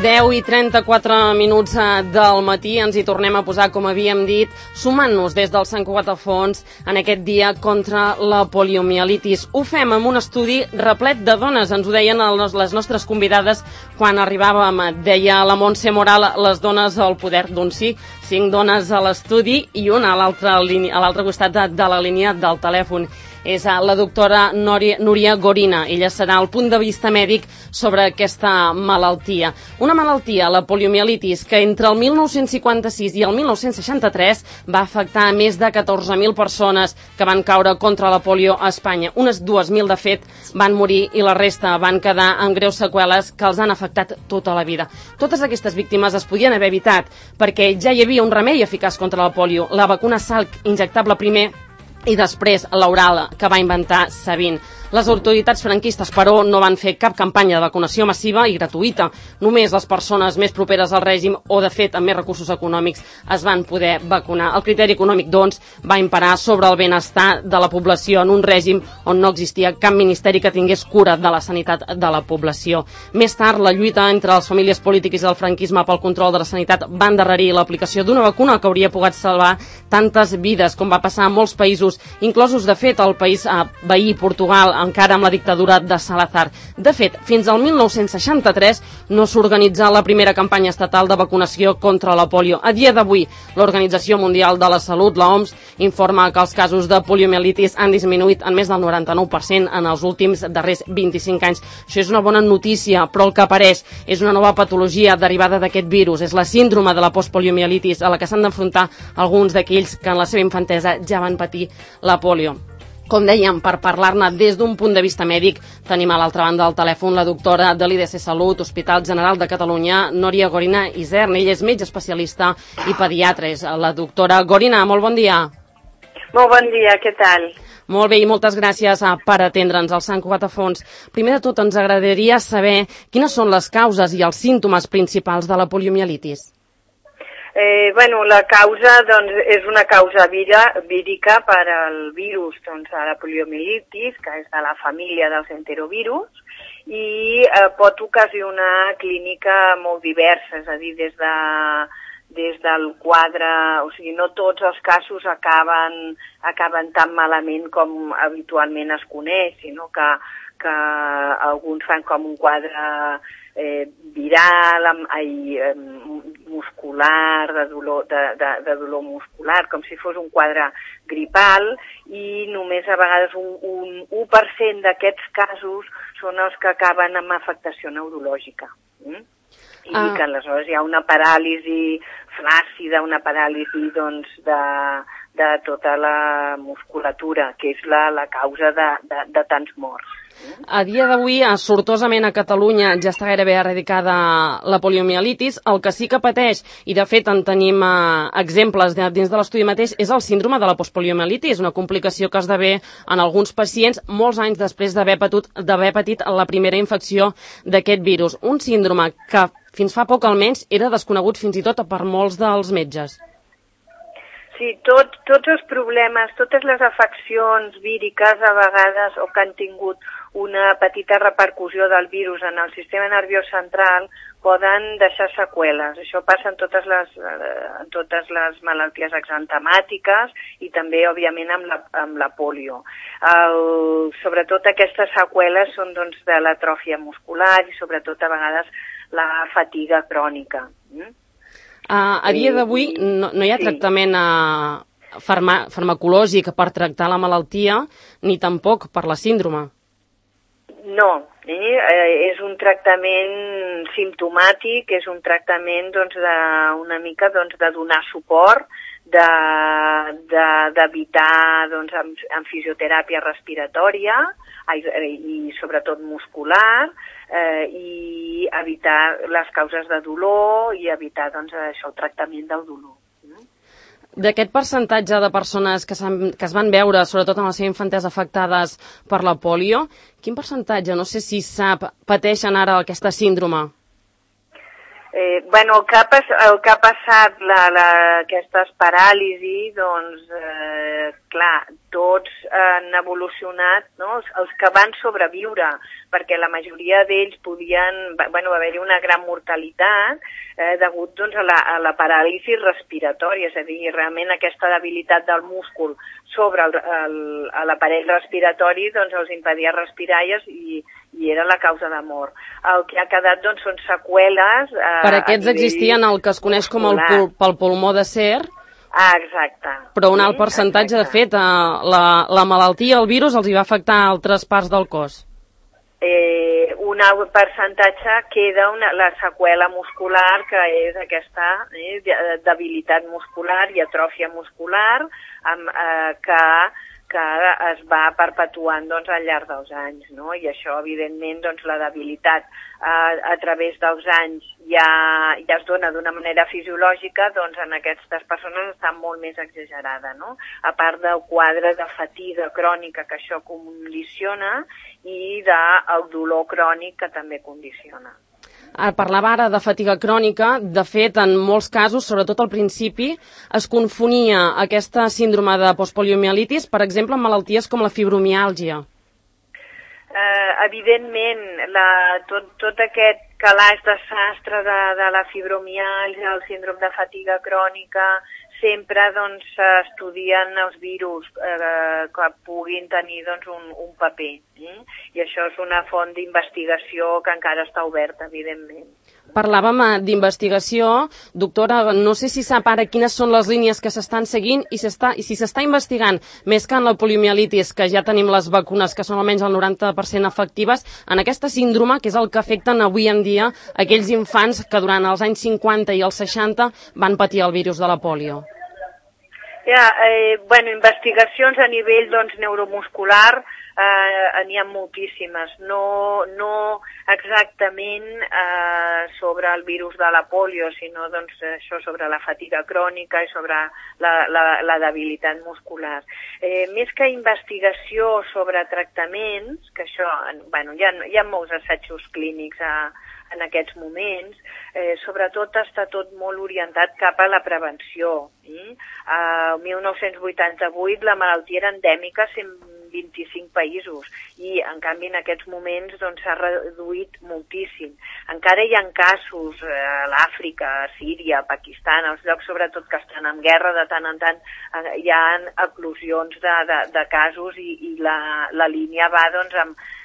10:34 del matí, ens hi tornem a posar, com havíem dit, sumant-nos des del Sant Cugat a Fons en aquest dia contra la poliomielitis. Ho fem amb un estudi replet de dones, ens ho deien les nostres convidades quan arribàvem. Deia la Montse Moral, les dones al poder, doncs sí, 5 dones a l'estudi i una a l'altre costat de la línia del telèfon. És la doctora Núria Gorina. Ella serà el punt de vista mèdic sobre aquesta malaltia. Una malaltia, la poliomielitis, que entre el 1956 i el 1963 va afectar a més de 14.000 persones que van caure contra la polio a Espanya. Unes 2.000, de fet, van morir i la resta van quedar amb greus seqüeles que els han afectat tota la vida. Totes aquestes víctimes es podien haver evitat perquè ja hi havia un remei eficaç contra la polio, la vacuna Salk, injectable primer i després l'oral, que va inventar Sabin. Les autoritats franquistes, però, no van fer cap campanya de vacunació massiva i gratuïta. Només les persones més properes al règim o, de fet, amb més recursos econòmics es van poder vacunar. El criteri econòmic, doncs, va imparar sobre el benestar de la població en un règim on no existia cap ministeri que tingués cura de la sanitat de la població. Més tard, la lluita entre les famílies polítiques i el franquisme pel control de la sanitat va endarrerir l'aplicació d'una vacuna que hauria pogut salvar tantes vides, com va passar en molts països, inclosos, de fet, el país veí, Portugal, encara amb la dictadura de Salazar. De fet, fins al 1963 no s'organitzà la primera campanya estatal de vacunació contra la polio. A dia d'avui, l'Organització Mundial de la Salut, l'OMS, informa que els casos de poliomielitis han disminuït en més del 99% en els últims darrers 25 anys. Això és una bona notícia, però el que apareix és una nova patologia derivada d'aquest virus. És la síndrome de la postpoliomielitis, a la que s'han d'enfrontar alguns d'aquells que en la seva infantesa ja van patir la polio. Com dèiem, per parlar-ne des d'un punt de vista mèdic, tenim a l'altra banda del telèfon la doctora de l'IDC Salut, Hospital General de Catalunya, Núria Gorina Isern. Ella és metge especialista i pediatra. La doctora Gorina, molt bon dia. Molt bon dia, què tal? Molt bé, i moltes gràcies per atendre'ns al Sant Cugat a Fons. Primer de tot, ens agradaria saber quines són les causes i els símptomes principals de la poliomielitis. La causa és una causa vírica per al virus de la poliomielitis, que és de la família dels enterovirus, i pot ocasionar clínica molt diversa, és a dir, des del quadre, o sigui, no tots els casos acaben tan malament com habitualment es coneix, sinó que alguns fan com un quadre viral, muscular, de dolor muscular, com si fos un quadre gripal, i només a vegades un 1% d'aquests casos són els que acaben amb afectació neurològica. I que aleshores hi ha una paràlisi flàccida, una paràlisi de tota la musculatura, que és la causa de tants morts. A dia d'avui, sortosament a Catalunya ja està gairebé eradicada la poliomielitis. El que sí que pateix, i de fet en tenim exemples dins de l'estudi mateix, és el síndrome de la postpoliomielitis, una complicació que esdevé en alguns pacients molts anys després d'haver patit la primera infecció d'aquest virus. Un síndrome que fins fa poc almenys era desconegut fins i tot per molts dels metges. Sí, tots els problemes, totes les afeccions víriques a vegades o que han tingut una petita repercussió del virus en el sistema nerviós central poden deixar seqüeles. Això passa en totes les malalties exantemàtiques i també, òbviament, amb la polio. Sobretot aquestes seqüeles són de l'atròfia muscular i sobretot a vegades la fatiga crònica. A dia d'avui no hi ha tractament farmacològic per tractar la malaltia ni tampoc per la síndrome. No, és un tractament simptomàtic, és un tractament una mica de donar suport, d'evitar amb fisioteràpia respiratòria i sobretot muscular, i evitar les causes de dolor i evitar el tractament del dolor. D'aquest percentatge de persones que es van veure, sobretot en la seva infantesa, afectades per la polio, quin percentatge, no sé si sap, pateixen ara aquesta síndrome? Bueno, el que ha passat, aquestes paràlisis, doncs, clar, tots han evolucionat, no? Els que van sobreviure, perquè la majoria d'ells podien, bueno, va haver-hi una gran mortalitat degut doncs, a la paràlisi respiratòria, és a dir, realment aquesta debilitat del múscul sobre l'aparell respiratori doncs, els impedia respirar i era la causa de mort. El que ha quedat doncs, són seqüeles... Per aquests existien el que es coneix com el pulmó d'acer. Exacte. Però un alt percentatge, de fet, la malaltia, el virus, els hi va afectar a altres parts del cos. Un alt percentatge queda la seqüela muscular, que és aquesta debilitat muscular i atròfia muscular que es va perpetuant doncs, al llarg dels anys, no? I això, evidentment, doncs, la debilitat a través dels anys ja es dona d'una manera fisiològica, doncs en aquestes persones està molt més exagerada, no? A part del quadre de fatiga crònica que això condiciona i del dolor crònic que també condiciona. Parlava ara de fatiga crònica. De fet, en molts casos, sobretot al principi, es confonia aquesta síndrome de postpoliomielitis, per exemple, amb malalties com la fibromiàlgia. Evidentment, tot aquest calaix de sastre de la fibromiàlgia, el síndrome de fatiga crònica, sempre s'estudien els virus que puguin tenir un paper. I això és una font d'investigació que encara està oberta, evidentment. Parlàvem d'investigació. Doctora, no sé si sap ara quines són les línies que s'estan seguint i si s'està investigant, més que en la poliomielitis, que ja tenim les vacunes que són almenys el 90% efectives, en aquesta síndrome, que és el que afecten avui en dia aquells infants que durant els anys 50 i els 60 van patir el virus de la polio. Investigacions a nivell neuromuscular n'hi ha moltíssimes, no exactament sobre el virus de la polio, sinó això sobre la fatiga crònica i sobre la debilitat muscular. Més que investigació sobre tractaments, que això, hi ha molts assajos clínics en aquests moments, sobretot està tot molt orientat cap a la prevenció. El 1988 la malaltia era endèmica a 125 països i, en canvi, en aquests moments s'ha reduït moltíssim. Encara hi ha casos a l'Àfrica, a Síria, a Pakistan, als llocs sobretot que estan en guerra, de tant en tant hi ha eclosions de casos i la línia va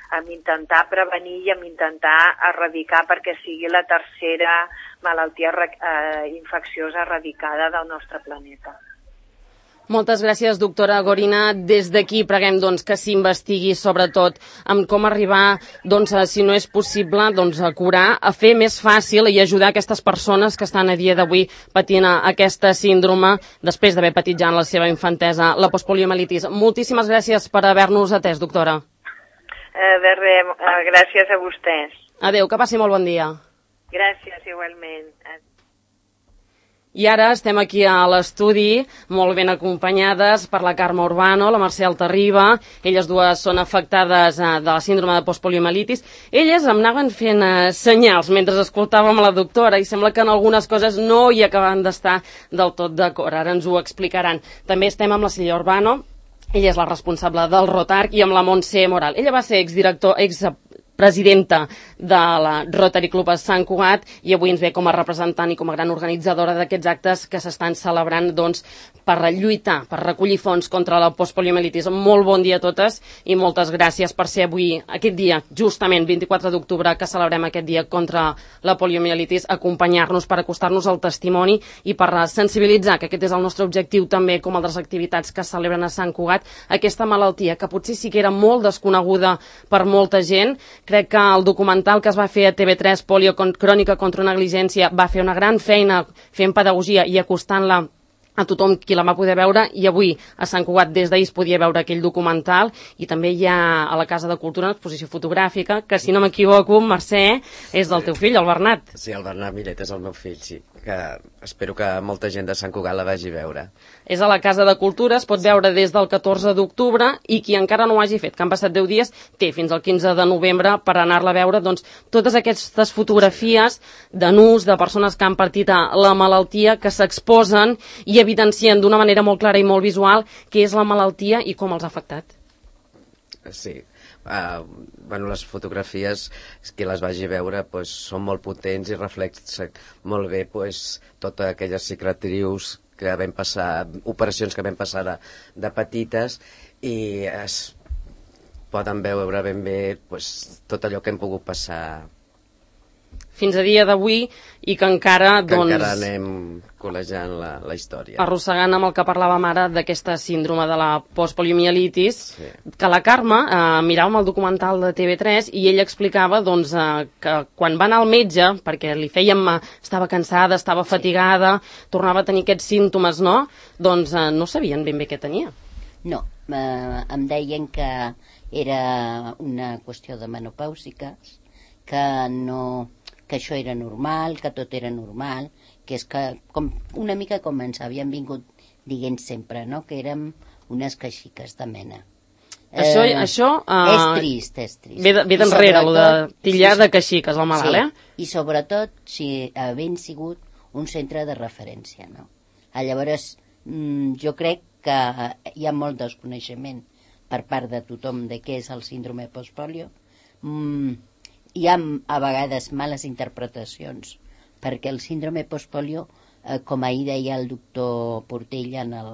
amb intentar prevenir i amb intentar erradicar perquè sigui la tercera malaltia infecciosa erradicada del nostre planeta. Moltes gràcies, doctora Gorina. Des d'aquí preguem que s'investigui sobretot en com arribar, si no és possible, a curar, a fer més fàcil i ajudar aquestes persones que estan a dia d'avui patint aquesta síndrome després d'haver patit ja en la seva infantesa la postpoliomielitis. Moltíssimes gràcies per haver-nos atès, doctora. Gràcies a vostès. Adéu, que passi molt bon dia. Gràcies, igualment. I ara estem aquí a l'estudi, molt ben acompanyades per la Carme Urbano, la Mercè Altarriba. Elles dues són afectades de la síndrome de postpoliomielitis. Elles em anaven fent senyals mentre escoltàvem la doctora i sembla que en algunes coses no hi acaben d'estar del tot d'acord. Ara ens ho explicaran. També estem amb la Sílvia Urbano. Ella és la responsable del Rotarc, i amb la Montse Moral. Ella va ser expresidenta de la Rotary Club a Sant Cugat i avui ens ve com a representant i com a gran organitzadora d'aquests actes que s'estan celebrant per lluitar, per recollir fons contra la postpoliomielitis. Molt bon dia a totes i moltes gràcies per ser avui, aquest dia, justament 24 d'octubre, que celebrem aquest dia contra la poliomielitis, acompanyar-nos per acostar-nos al testimoni i per sensibilitzar, que aquest és el nostre objectiu també, com altres activitats que es celebren a Sant Cugat, aquesta malaltia que potser sí que era molt desconeguda per molta gent. Crec que el documental que es va fer a TV3, Polio Crònica contra una negligència, va fer una gran feina fent pedagogia i acostant-la a tothom qui la va poder veure, i avui a Sant Cugat des d'ahir es podia veure aquell documental, i també hi ha a la Casa de Cultura una exposició fotogràfica que, si no m'equivoco, Mercè, és del teu fill, el Bernat. Sí, el Bernat Millet és el meu fill, sí. que espero que molta gent de Sant Cugat la vagi a veure. És a la Casa de Cultura, es pot veure des del 14 d'octubre i qui encara no ho hagi fet, que han passat 10 dies, té fins al 15 de novembre per anar-la a veure, doncs, totes aquestes fotografies de nus, de persones que han partit a la malaltia, que s'exposen i evidencien d'una manera molt clara i molt visual què és la malaltia i com els ha afectat. Sí. Les fotografies, qui les vagi a veure, són molt potents i reflexen molt bé totes aquelles cicatrius que vam passar, operacions que vam passar de petites, i es poden veure ben bé tot allò que hem pogut passar fins a dia d'avui i que encara, encara anem col·legiant la història. Arrossegant amb el que parlàvem ara d'aquesta síndrome de la postpoliomielitis, que la Carme miràvem el documental de TV3 i ella explicava que quan va anar al metge, perquè li fèiem, estava cansada, estava fatigada, tornava a tenir aquests símptomes, no? Doncs no sabien ben bé què tenia. No, em deien que era una qüestió de menopàusiques, que això era normal, que tot era normal, que és que una mica com ens havien vingut dient sempre, no? Que érem unes queixiques de mena. Això és trist. Ve d'enrere, el de tillar de queixiques, el malalt, I sobretot si havent sigut un centre de referència, no? Llavors, jo crec que hi ha molt desconeixement per part de tothom de què és el síndrome postpolio. Hi ha a vegades males interpretacions, perquè el síndrome postpolio, com ahir deia el doctor Portell en el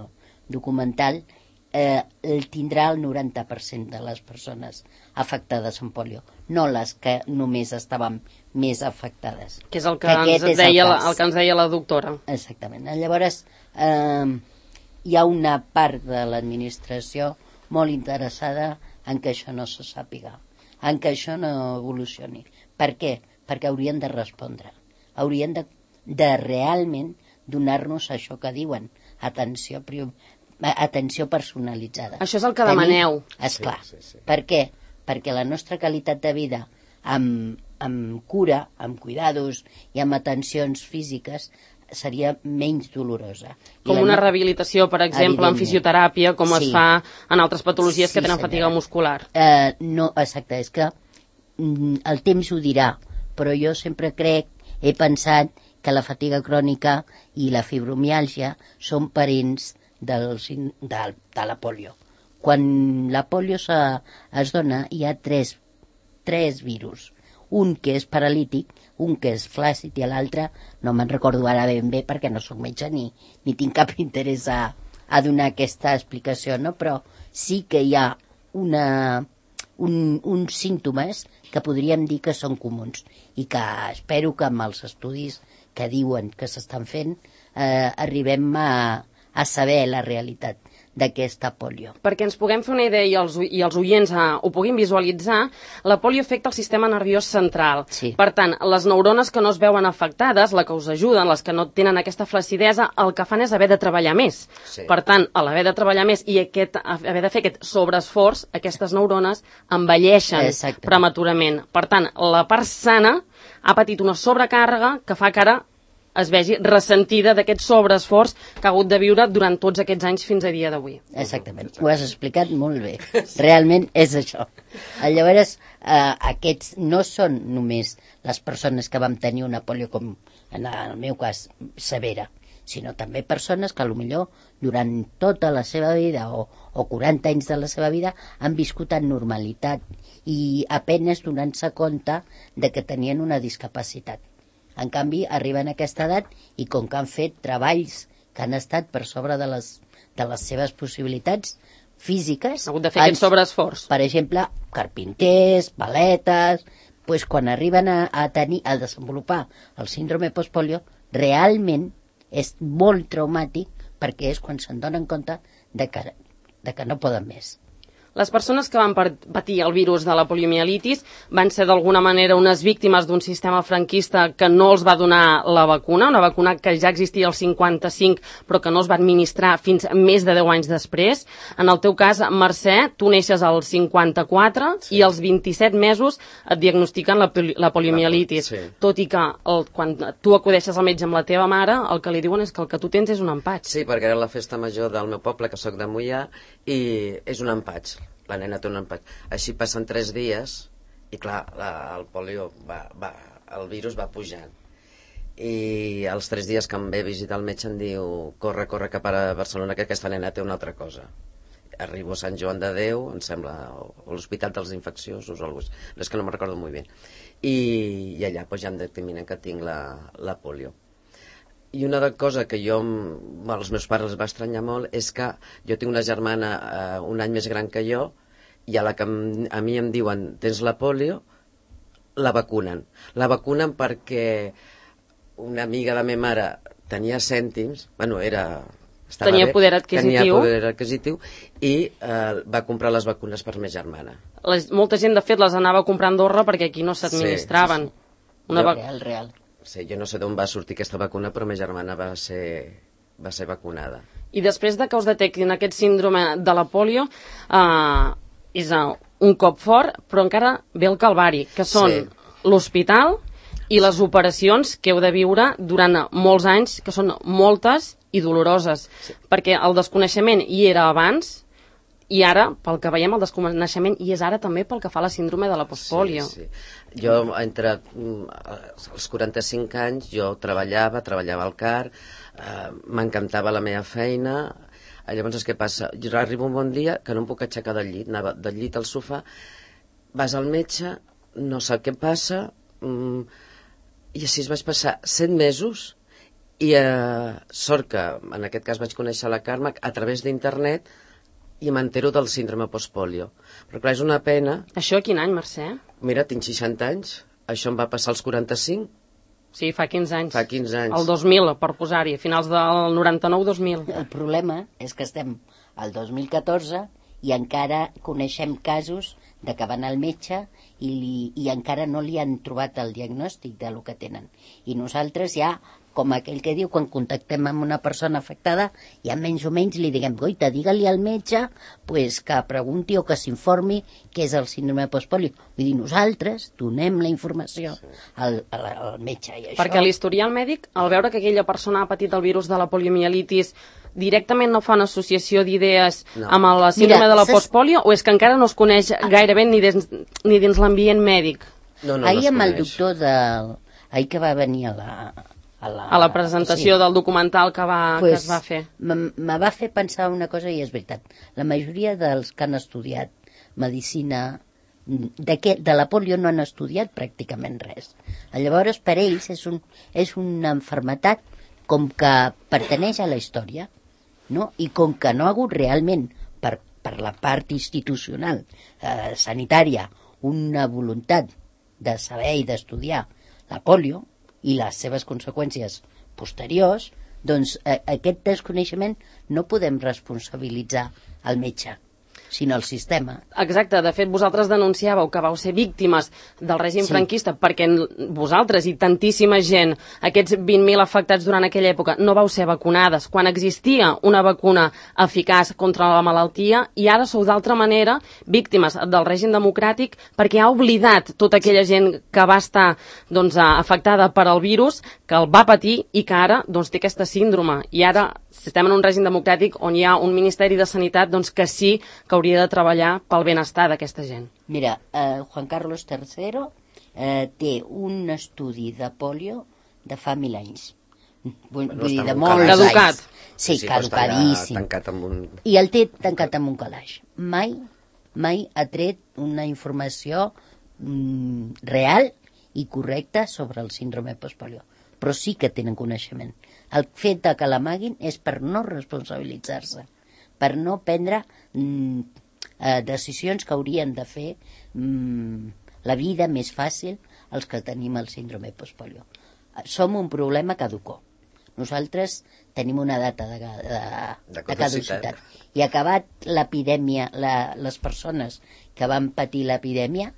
documental, el tindrà el 90% de les persones afectades amb polio, no les que només estaven més afectades. Que és el que ens deia la doctora. Exactament. Llavors, hi ha una part de l'administració molt interessada en que això no se sàpiga, en que això no evolucioni. Per què? Perquè haurien de respondre. Haurien de realment donar-nos això que diuen, atenció personalitzada. Això és el que demaneu. Esclar. Sí. Per què? Perquè la nostra qualitat de vida amb cura, amb cuidados i amb atencions físiques seria menys dolorosa. Com una rehabilitació, per exemple, en fisioteràpia, com es fa en altres patologies que tenen fatiga muscular. No, exacte, és que el temps ho dirà, però jo sempre he pensat que la fatiga crònica i la fibromiàlgia són parents de la polio. Quan la polio es dona, hi ha tres virus. Un que és paralític, un que és flàcid i l'altre no me'n recordo ara ben bé perquè no soc metge ni tinc cap interès a donar aquesta explicació, no? Però sí que hi ha uns símptomes que podríem dir que són comuns i que espero que amb els estudis que diuen que s'estan fent arribem a saber la realitat d'aquesta polio. Perquè ens puguem fer una idea i els oients ho puguin visualitzar, la polio afecta el sistema nerviós central. Sí. Per tant, les neurones que no es veuen afectades, la que us ajuden, les que no tenen aquesta flacidesa, el que fan és haver de treballar més. Sí. Per tant, a l'haver de treballar més i haver de fer aquest sobreesforç, aquestes neurones envelleixen prematurament. Per tant, la part sana ha patit una sobrecàrrega que fa que ara es vegi ressentida d'aquest sobreesforç que ha hagut de viure durant tots aquests anys fins a dia d'avui. Exactament, ho has explicat molt bé. Realment és això. Llavors, aquests no són només les persones que vam tenir una polio, com en el meu cas, severa, sinó també persones que potser durant tota la seva vida o 40 anys de la seva vida han viscut en normalitat i apenes donant-se compte de que tenien una discapacitat. En canvi, arriben a aquesta edat i com que han fet treballs que han estat per sobre de les seves possibilitats físiques... Ha hagut de fer aquest sobreesforç. Per exemple, carpinters, paletes... Doncs quan arriben a desenvolupar el síndrome postpolio, realment és molt traumàtic perquè és quan se'n donen compte de que no poden més. Les persones que van patir el virus de la poliomielitis van ser d'alguna manera unes víctimes d'un sistema franquista que no els va donar la vacuna, una vacuna que ja existia al 55 però que no es va administrar fins més de 10 anys després. En el teu cas, Mercè, tu neixes al 54 i als 27 mesos et diagnostiquen la poliomielitis. Sí. Tot i que quan tu acudeixes al metge amb la teva mare, el que li diuen és que el que tu tens és un empatx. Sí, perquè era la festa major del meu poble, que sóc de Moià, i és un empatx. La nena té un empatx. Així passen 3 dies i clar, el polio el virus va pujant. I als 3 dies que em ve a visitar el metge em diu corre cap a Barcelona que aquesta nena té una altra cosa. Arribo a Sant Joan de Déu, em sembla, o l'Hospital dels Infecciosos o alguna cosa, és que no me'n recordo molt bé. I allà ja em determinen que tinc la polio. I una cosa que als meus pares els va estranyar molt és que jo tinc una germana un any més gran que jo i a la que a mi em diuen tens la polio, la vacunen. La vacunen perquè una amiga de la meva mare tenia cèntims, tenia poder adquisitiu i va comprar les vacunes per la meva germana. Molta gent, de fet, les anava a comprar a Andorra perquè aquí no s'administraven. Real. Sí, jo no sé d'on va sortir aquesta vacuna, però ma germana va ser vacunada. I després de que us detectin aquest síndrome de la polio, és un cop fort, però encara ve el calvari, que són l'hospital i les operacions que heu de viure durant molts anys, que són moltes i doloroses, perquè el desconeixement hi era abans, i ara, pel que veiem, el desconeixement hi és ara també pel que fa a la síndrome de la postpolio. Sí. Jo, entre els 45 anys, jo treballava al CAR, m'encantava la meva feina. Llavors, què passa? Jo arribo un bon dia que no em puc aixecar del llit, anava del llit al sofà, vas al metge, no sap què passa, i així vaig passar 7 mesos, i sort que, en aquest cas, vaig conèixer la Carme a través d'internet, i m'entero del síndrome postpolio. Però clar, és una pena... Això a quin any, Mercè? Mira, tinc 60 anys, això em va passar als 45. Sí, fa 15 anys. Fa 15 anys. El 2000, per posar-hi, a finals del 99-2000. El problema és que estem al 2014 i encara coneixem casos de que van al metge i encara no li han trobat el diagnòstic de lo que tenen. I nosaltres ja, com aquell que diu, quan contactem amb una persona afectada, ja menys o menys li diguem, goita, digue-li al metge pues, que pregunti o que s'informi què és el síndrome postpolio. Vull dir, nosaltres donem la informació al metge. I això... Perquè l'historial mèdic, al veure que aquella persona ha patit el virus de la poliomielitis, directament no fa una associació d'idees amb la síndrome de la postpolio, o és que encara no es coneix gairebé ni dins l'ambient mèdic? Ahir amb el doctor ahir que va venir a la presentació del documental que es va fer. Me va fer pensar una cosa i és veritat. La majoria dels que han estudiat medicina de la polio no han estudiat pràcticament res. Llavors, per ells és una malaltia com que pertaneix a la història, no? I com que no ha hagut realment per la part institucional sanitària una voluntat de saber i d'estudiar la polio i les seves conseqüències posteriors, doncs aquest desconeixement no podem responsabilitzar el metge, sinó el sistema. Exacte, de fet vosaltres denunciàveu que vau ser víctimes del règim franquista perquè vosaltres i tantíssima gent, aquests 20.000 afectats durant aquella època, no vau ser vacunades quan existia una vacuna eficaç contra la malaltia i ara sou d'altra manera víctimes del règim democràtic perquè ha oblidat tota aquella gent que va estar afectada per el virus, que el va patir i que ara té aquesta síndrome. I ara estem en un règim democràtic on hi ha un Ministeri de Sanitat que sí que hauria de treballar pel benestar d'aquesta gent. Mira, Juan Carlos III té un estudi de polio de fa 1.000 anys. Vull dir, de molts caducat. anys. Sí, caducadíssim. I el té tancat en un calaix. Mai ha tret una informació real i correcta sobre el síndrome postpolio. Però sí que tenen coneixement. El fet de que l'amaguin és per no responsabilitzar-se, per no prendre decisions que haurien de fer la vida més fàcil als que tenim el síndrome postpolio. Som un problema caducó, Nosaltres tenim una data de caducitat. I acabat l'epidèmia, les persones que van patir l'epidèmia,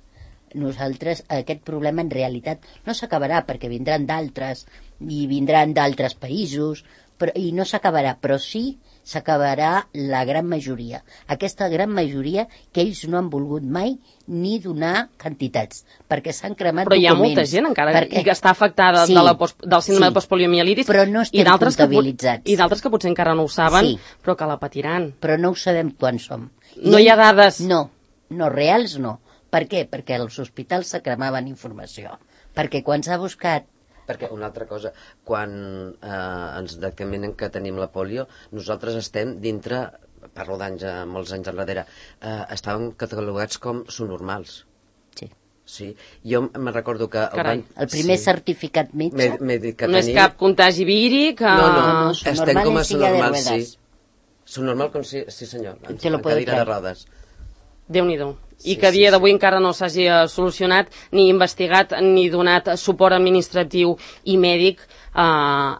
nosaltres aquest problema en realitat no s'acabarà, perquè vindran d'altres i vindran d'altres països, i no s'acabarà, però sí s'acabarà la gran majoria. Aquesta gran majoria que ells no han volgut mai ni donar quantitats, perquè s'han cremat documents. Però hi ha molta gent encara que està afectada del síndrome de postpoliomielitis, però no estem comptabilitzats. I d'altres que potser encara no ho saben, però que la patiran. Però no ho sabem quan som. No hi ha dades? No, reals no. Per què? Perquè als hospitals se cremaven informació. Perquè quan s'ha buscat... Perquè una altra cosa, quan ens determinen que tenim la polio, nosaltres estem dintre, parlo d'anys, molts anys enrere, estàvem catalogats com subnormals. Sí. Jo me recordo que... El primer certificat metge... No és cap contagi víric... No, estem com a subnormals, sí. Subnormal com sí senyor, en cadira de rodes. Déu-n'hi-do. I que a dia d'avui encara no s'hagi solucionat, ni investigat, ni donat suport administratiu i mèdic a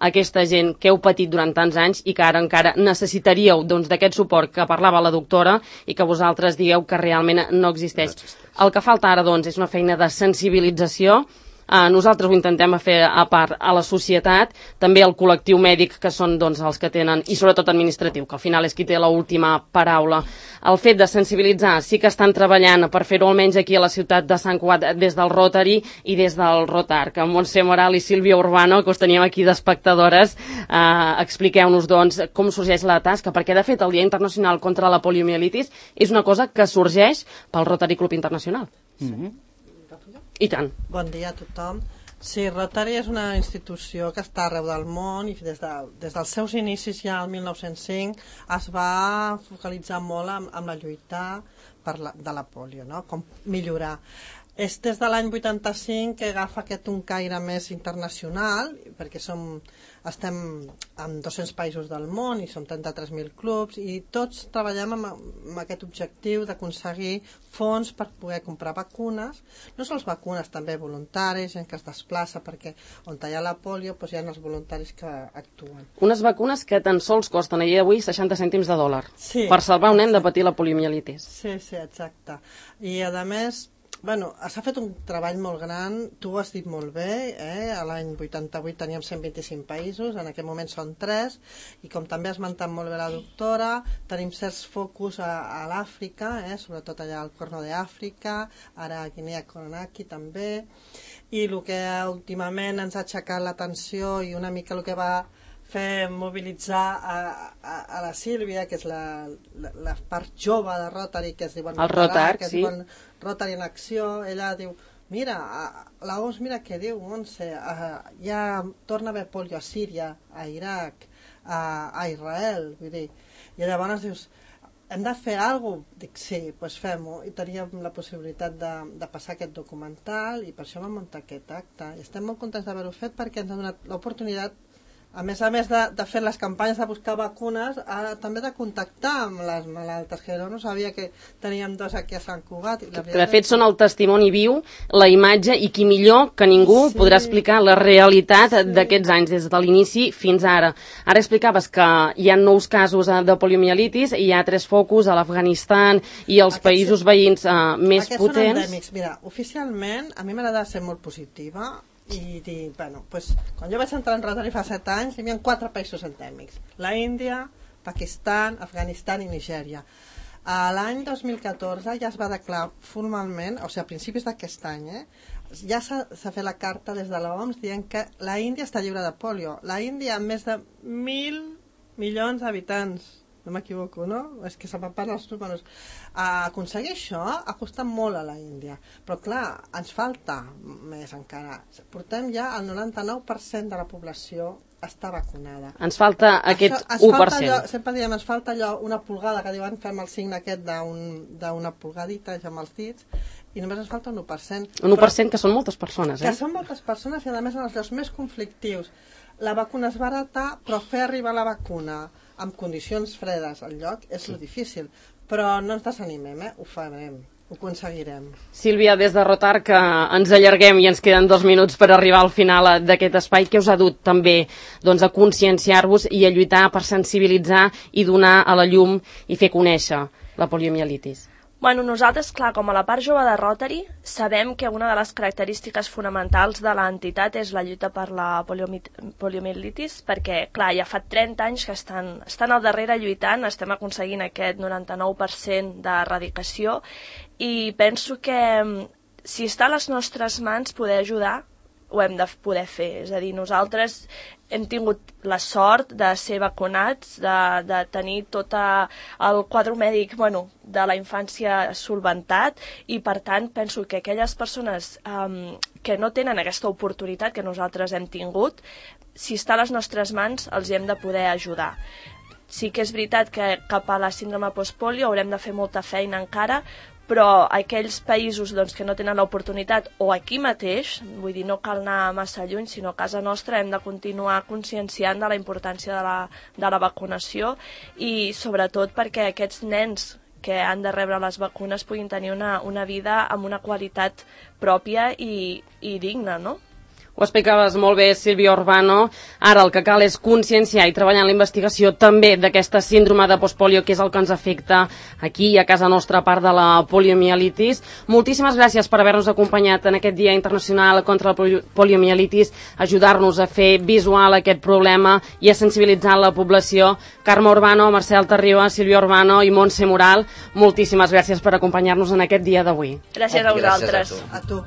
aquesta gent que heu patit durant tants anys i que ara encara necessitaríeu d'aquest suport que parlava la doctora i que vosaltres digueu que realment no existeix. El que falta ara, és una feina de sensibilització. Nosaltres ho intentem fer a part a la societat, també al col·lectiu mèdic, que són els que tenen, i sobretot administratiu, que al final és qui té l'última paraula. El fet de sensibilitzar, sí que estan treballant per fer-ho almenys aquí a la ciutat de Sant Cugat des del Rotary i des del Rotarc. Montse Moral i Sílvia Urbano, que us teníem aquí d'espectadores, expliqueu-nos com sorgeix la tasca, perquè de fet el Dia Internacional contra la Poliomielitis és una cosa que sorgeix pel Rotary Club Internacional. I tant. Bon dia a tothom. Sí, Rotary és una institució que està arreu del món i des dels seus inicis ja el 1905 es va focalitzar molt amb la lluita de la polio, no? Com millorar. És des de l'any 85 que agafa un caire més internacional, perquè estem en 200 països del món i som 33.000 clubs i tots treballem amb aquest objectiu d'aconseguir fons per poder comprar vacunes, no sols vacunes, també voluntaris, gent que es desplaça, perquè on hi ha la polio hi ha els voluntaris que actuen. Unes vacunes que tan sols costen a dia d'avui 60 cèntims de dòlar per salvar un nen de patir la poliomielitis. Sí, exacte. I a més, s'ha fet un treball molt gran, tu ho has dit molt bé, a l'any 88 teníem 125 països, en aquest moment són 3, i com també ha esmentat molt bé la doctora, tenim certs focus a l'Àfrica, sobretot allà al Corno d'Àfrica, ara a Guinea Conakry també, i el que últimament ens ha aixecat l'atenció i una mica el que va fer mobilitzar a la Sílvia, que és la part jove de Rotary, que es diuen el Rotarc, que es diuen Rotary en acció. Ella diu, mira, la OMS, mira què diu, Montse, ja torna a haver polio a Síria, a Iraq, a Israel, vull dir, i llavors dius, hem de fer alguna cosa? Dic, sí, doncs fem-ho. I teníem la possibilitat de passar aquest documental i per això vam muntar aquest acte. I estem molt contents d'haver-ho fet perquè ens ha donat l'oportunitat, a més de fer les campanyes de buscar vacunes, també de contactar amb les malaltes, que no sabia que teníem 2 aquí a Sant Cugat. Que de fet són el testimoni viu, la imatge, i qui millor que ningú podrà explicar la realitat d'aquests anys, des de l'inici fins ara. Ara explicaves que hi ha nous casos de poliomielitis, i hi ha 3 focus a l'Afganistan i als països veïns més potents. Aquests són endèmics. Mira, oficialment, a mi m'agrada ser molt positiva, i dir, quan jo vaig entrar en Rotary fa 7 anys hi havia 4 països endèmics: la Índia, Pakistan, Afganistan i Nigèria. L'any 2014 ja es va declarar formalment, o sigui, a principis d'aquest any, ja s'ha fet la carta des de l'OMS dient que la Índia està lliure de polio. La Índia, amb més de 1.000 milions d'habitants, no m'equivoco, no? És que se m'han parlat els números. Aconseguir això ha costat molt a la Índia, però clar, ens falta més encara. Portem ja el 99% de la població està vacunada. Ens falta aquest 1%. Sempre diem, ens falta allò, una pulgada, que diuen, fem el signe aquest d'una pulgadita amb els dits, i només ens falta un 1%. Un 1% que són moltes persones, Que són moltes persones i a més en els llocs més conflictius. La vacuna és barata, però fer arribar la vacuna amb condicions fredes al lloc és lo difícil, però no ens desanimem, ho farem. ho aconseguirem. Sílvia, des de Rotar, que ens allarguem i ens queden 2 minuts per arribar al final d'aquest espai, què us ha dut també a conscienciar-vos i a lluitar per sensibilitzar i donar a la llum i fer conèixer la poliomielitis? Bueno, nosaltres, clar, com a la part jove de Rotary, sabem que una de les característiques fonamentals de l'entitat és la lluita per la poliomielitis, perquè, clar, ja fa 30 anys que estan al darrere lluitant, estem aconseguint aquest 99% d'erradicació, i penso que si està a les nostres mans poder ajudar, ho hem de poder fer. És a dir, nosaltres hem tingut la sort de ser vacunats, de tenir tot el quadre mèdic de la infància solventat, i per tant penso que aquelles persones que no tenen aquesta oportunitat que nosaltres hem tingut, si està a les nostres mans els hem de poder ajudar. Sí que és veritat que cap a la síndrome postpolio haurem de fer molta feina encara, però aquells països que no tenen l'oportunitat, o aquí mateix, vull dir, no cal anar massa lluny, sinó a casa nostra hem de continuar conscienciant de la importància de la vacunació, i sobretot perquè aquests nens que han de rebre les vacunes puguin tenir una vida amb una qualitat pròpia i digna, no? Ho explicaves molt bé, Sílvia Urbano. Ara el que cal és conscienciar i treballar en la investigació també d'aquesta síndrome de postpolio, que és el que ens afecta aquí a casa nostra, a part de la poliomielitis. Moltíssimes gràcies per haver-nos acompanyat en aquest Dia Internacional contra la poliomielitis, ajudar-nos a fer visual aquest problema i a sensibilitzar la població. Carme Urbano, Marcel Tarriba, Sílvia Urbano i Montse Moral, moltíssimes gràcies per acompanyar-nos en aquest dia d'avui. Gràcies a vosaltres. A tu.